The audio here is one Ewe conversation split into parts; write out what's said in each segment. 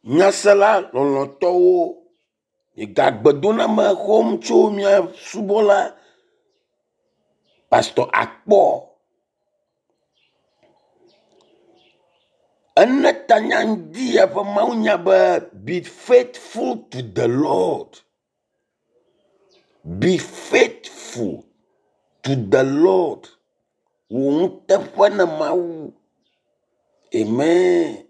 Nyasela lɔlɔ̃tɔwo, migagbedoname xɔm tso mia subɔla Pastor Akpɔ. Ene tanya ŋdi ya ƒe mawunya be be faithful to the Lord. Be faithful to the Lord. Wò nuteƒe ne Mawu. Amen.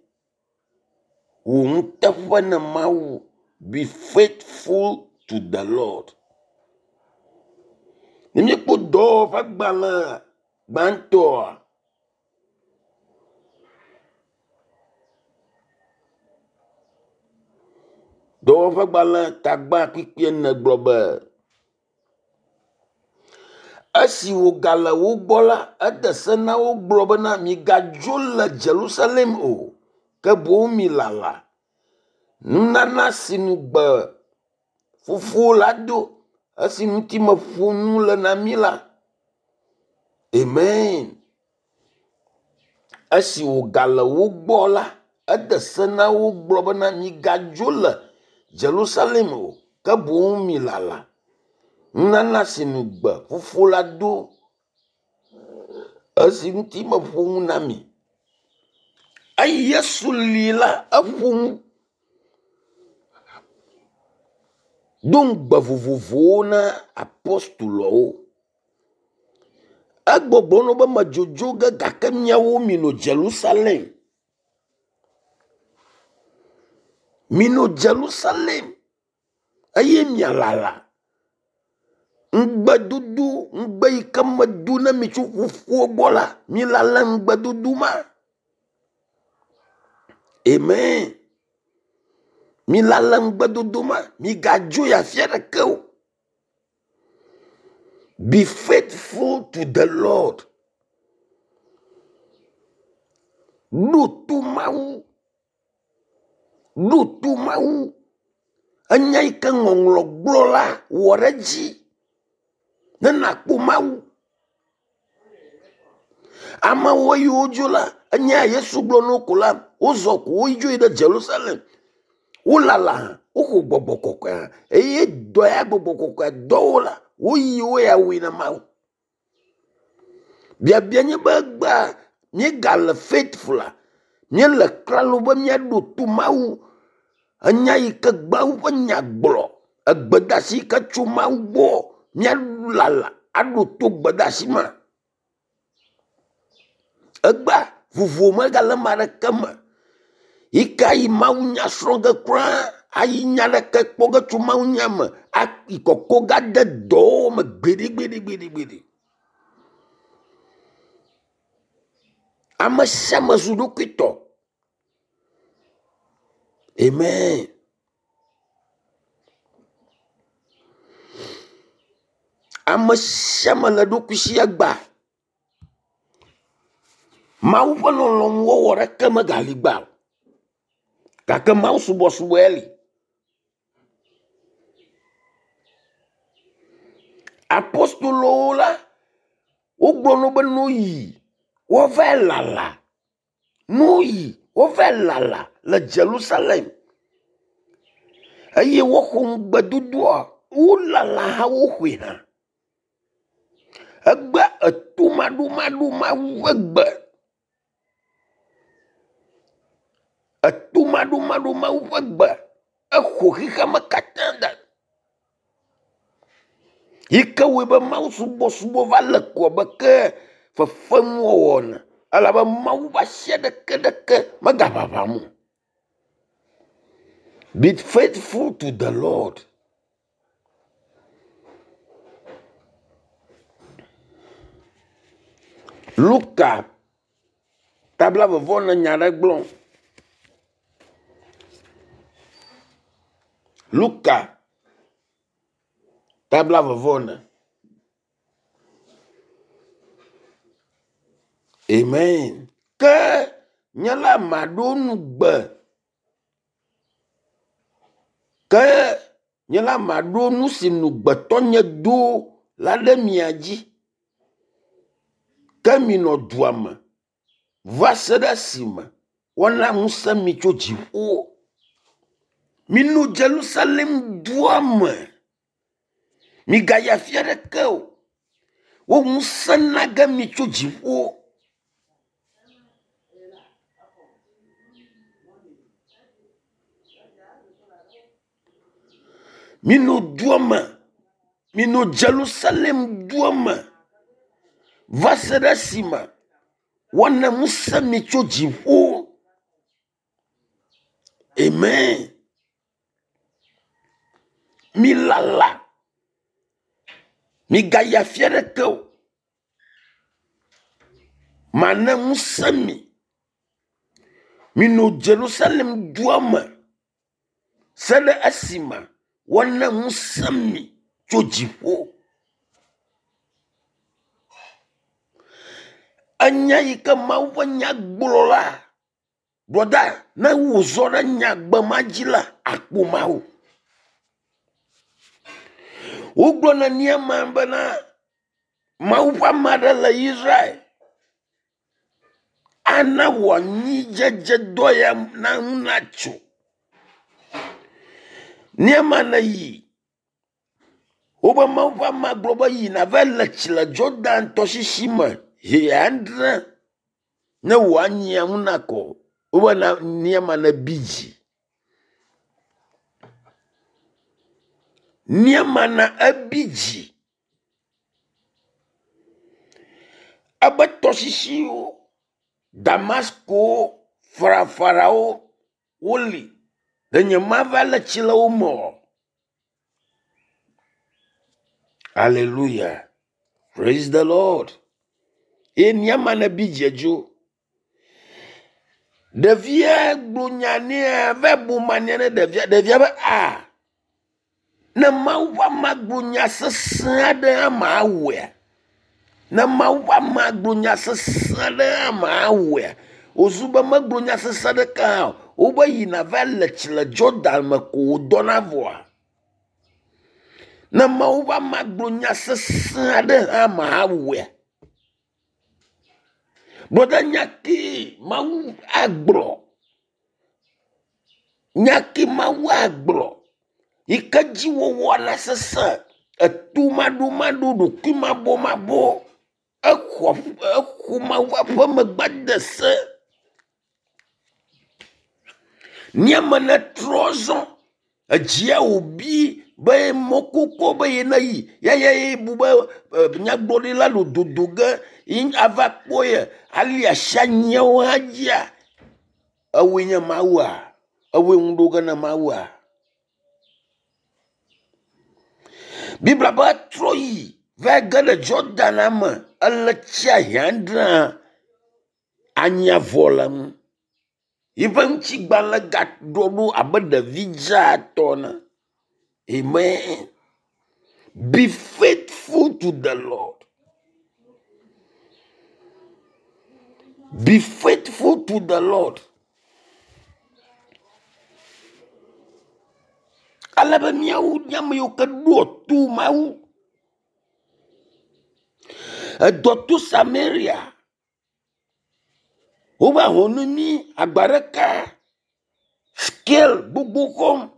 Wò nuteƒe ne Mawu. Be faithful to the Lord. Ne míekpɔ dɔwɔwɔ ƒe agbalẽ gbãtɔa, dɔwɔƒegbalẽ tagba kpikpi ene gblɔ be esi wògale wo gbɔ la, ede se na wo gblɔ bena migadzo le Jerusalem o, ke boŋ milala nunana si ŋugbe Fofo la do, esi ŋuti meƒo nu le na mi la. Amen. Esi wògale wo gbɔ la, ede se na wo gblɔ bena migadzo le Jerusalem o, ke boŋ milala nunana si ŋugbe Fofo la do, esi ŋuti meƒo nu na mi. Eyi Yesu li la, eƒo nu do ŋugbe vovovowo na apostoloawo. Egbɔgblɔ na wo be medzodzo ge gake miawo minɔ Jerusalem. Minɔ Jerusalem eye mialala ŋugbedodo ŋugbe yi ke medo na mi tso Fofoa gbɔ la, milala ŋugbedodo ma. Amen. Milala ŋugbedodo ma. Migadzo yi afi aɖeke o. Be faithful to the Lord. Ɖo to Mawu. Ɖo to Mawu. Enya yi ke ŋɔŋlɔ gblɔ la, wɔ ɖe edzi ne nàkpɔ Mawu. Amewo yiwo dzo la, enya Yesu gblɔ na wo ko la, wozɔ ko wodzo yi ɖe Jerusalem. Wolala hã, woxɔ gbɔgbɔ kɔkɔea eye dɔ ya gbɔgbɔ kɔkɔea dɔ wo la, woyi wo ya wɔe na Mawu. Biabia nye be egbea míegale faithful a, míele klalo be míaɖo to Mawu. Enya yi ke Mawu ƒe nya gblɔ, egbedasi yi ke tso Mawu gbɔ, míalala aɖo to gbedasi ma. Egbea vovo megale ame aɖeke me yi ke ayi mawunya srɔ̃ ge kura, ayi nya ɖeke kpɔ ge tso mawunya me, ayi kɔkɔ ge ade dɔwɔwɔ me gbeɖegbeɖegbeɖegbeɖe. Ame sia ame zu ɖokuitɔ. Amen. Ame sia ame le eɖokui si egbea. Mawu ƒe lɔlɔ̃nu wɔwɔ ɖeke megali gbea o. Gake Mawu subɔsubɔ ya li. Apostolowo la, wogblɔ na wo be noyi woava lala. Noyi woava lala le Jerusalem eye woxɔ ŋugbedodoa wolala hã woxɔe hã. Egbea etomaɖomaɖo Mawu ƒe gbe. Etomaɖomaɖo Mawu ƒe gbe exɔ xexeame katã da. Yi ke wɔe be Mawu subɔsubɔ va le ko abe ke fefenuwɔwɔ ene elabe Mawu ƒe asi aɖeke ɖeke megaʋaʋãm o. Be faithful to the Lord. Luka tabla vevɔ ne nya ɖe gblɔ. Luka tabla vevɔ ne. Amen. Ke nye la maɖo nugbe. Ke nye la maɖo nu si nugbetɔ nye do la ɖe mia dzi. Ke minɔ dua me va se ɖe esime woana ŋusẽ mi tso dziƒo. Mino Jerusalem dua me. Migayi afi aɖeke o. Wo ŋusẽ na ge mi tso dziƒo. Mino dua me. Mino Jerusalem dua me va se ɖe esime woana ŋusẽ mi tso dziƒo. Amen. Milala. Migayi afi aɖeke o. Mana ŋusẽ mi. Mino Jerusalem dua me se ɖe esime woana ŋusẽ mi tso dziƒo. Enya yi ke Mawu ƒe nya gblɔ la, brɔda, ne wòzɔ ɖe nyagbe ma dzi la, akpɔ Mawu. Wogblɔ na Naaman bena Mawu ƒe ame aɖe le Israel ana wò anyidzedzedɔ ya na ŋu natso. Naaman yi wobe Mawu ƒe amea gblɔ be yi nava le tsi le Jordan tɔsisi me zi adre ne wò anyia ŋu nakɔ. Wobe Naaman nebi dzi. Naaman ebi dzi. Ebe tɔsisiwo, Damaskowo, farafarawo woli. Ɖe nyemava le tsi le wo me o. Hallelujah. Praise the Lord. Ye Naaman ebi dzi edzo. Ɖevia gblɔ nya nɛ va bu mania ne ɖevia. Ɖevia be a ne Mawu ƒe amea gblɔ nya sesẽ aɖe hã mawɔea? Ne Mawu ƒe amea gblɔ nya sesẽ aɖe hã mawɔea? Wòzu be megblɔ nya sesẽ aɖeke hã o. Wobe yina va le tsi le Jordan me ko wòdɔna vɔa? Ne Mawu ƒe amea gblɔ nya sesẽ aɖe hã mawɔea? Brɔda nya kee Mawu agblɔ. Nya ke Mawu agblɔ yi ke dzi wowɔ la sesẽ. Eto maɖomaɖo, ɖokui mabɔmabɔ. Exɔ exɔ Mawu ƒe aƒeme de se. Míame netrɔ zɔ. Edzia wòbi be mɔkpɔkpɔ be yene yi ya ya ye bu be nyagblɔɖila le dodo ge ye ava kpɔ ye ali asi anyiawo hã dzia. Ewoe nye Mawua? Ewoe ŋu ɖo ge na Mawua? Biblia be etrɔ yi va ge ɖe Jordan me ele tsia hiãdrẽ anyia vɔ le ŋu. Yiƒe ŋutigbalẽ gaɖɔ ɖo abe ɖevi dzaa tɔ ene. Amen. Be faithful to the Lord. Be faithful to the Lord. Ale be míawo nye ame yiwo ke ɖoa to Mawu. Edɔ to Samaria. Wova ho nu mí agba ɖeka scale gbogbo xɔm.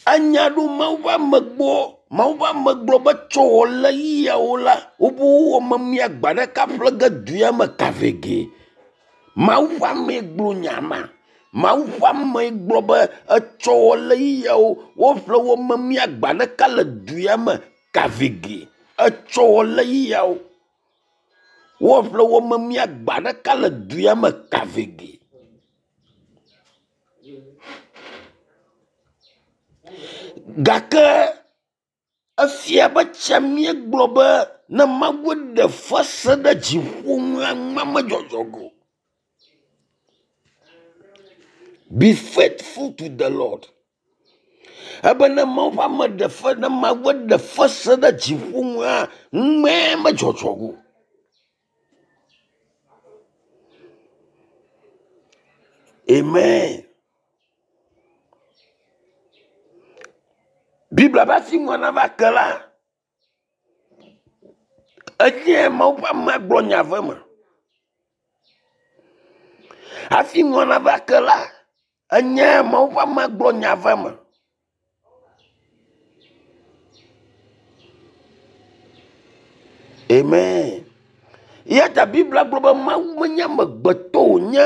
Enya ɖo Mawu ƒe ame gbɔ. Mawu ƒe ame gblɔ be tsɔ wɔ le ɣeyiɣiawo la, wobe wowɔ memia agba ɖeka ƒle ge du ya me kavege. Mawu ƒe amee gblɔ nya ma. Mawu ƒe amee gblɔ be etsɔ wɔ le ɣeyiɣiawo woƒle wɔ memia agba ɖeka le du ya me kavege. Etsɔ wɔ le ɣeyiɣiawo woƒle wɔ memia agba ɖeka le du ya me kavege. Gake efia be tsia míegblɔ be ne Mawu ɖe fese ɖe dziƒo ŋua nua medzɔdzɔ go. Be faithful to the Lord. Ebe ne Mawu ƒe ame ɖe fe ne Mawu ɖe fese ɖe dziƒo ŋua nue medzɔdzɔ go. Amen. Biblia ƒe afi ŋua nava ke la, enye Mawu ƒe amea gblɔ nya ve me. Hafi nua nava ke la, enye Mawu ƒe amea gblɔ nya va eme. Amen. Eya ta Biblia gblɔ be Mawu menye amegbetɔ wònye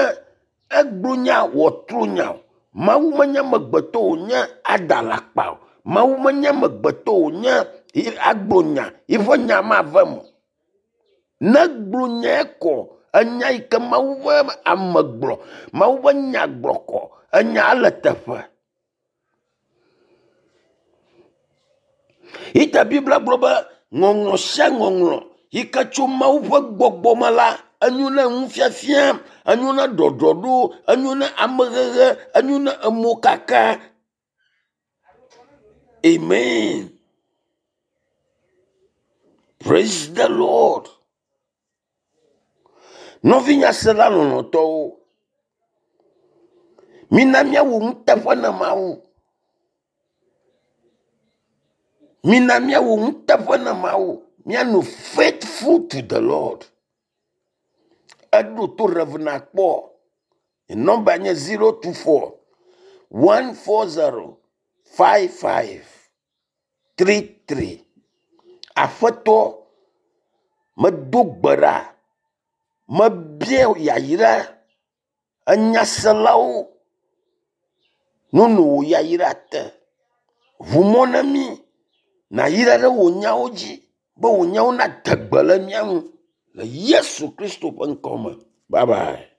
egblɔ nya wòatro nya o. Mawu menye amegbetɔ wònye ada alakpa o. Mawu menye amegbetɔ wònye agblɔ nya yiƒe nya mava eme o. Ne egblɔ nya kɔ, enya yi ke Mawu ƒe ame gblɔ, Mawu ƒe nya gblɔ kɔ, enya le teƒe. Yi ta Biblia gblɔ be ŋɔŋlɔ sia ŋɔŋlɔ yi ke tso Mawu ƒe gbɔgbɔ me la, enyo na nufiafia, enyo na ɖɔɖɔɖo, enyo na amehehe, enyo na emokaka. Amen. Praise the Lord. Nɔvinyasela lɔlɔ̃tɔwo, mina míawɔ nuteƒe na Mawu. Mina míawɔ nuteƒe na Mawu. Míanɔ faithful to the Lord. Eɖo to Rev. Nakpɔ. Nɔmba nye 024 140 55 33. Aƒetɔ, medo gbe ɖa, mebia yayra enyaselawo nono wò yayra te. Ʋu mɔ na mí nàyra ɖe wò nyawo dzi be wò nyawo nade gbe le mía ŋu le Yesu Kristo ƒe ŋkɔ me. Bye bye.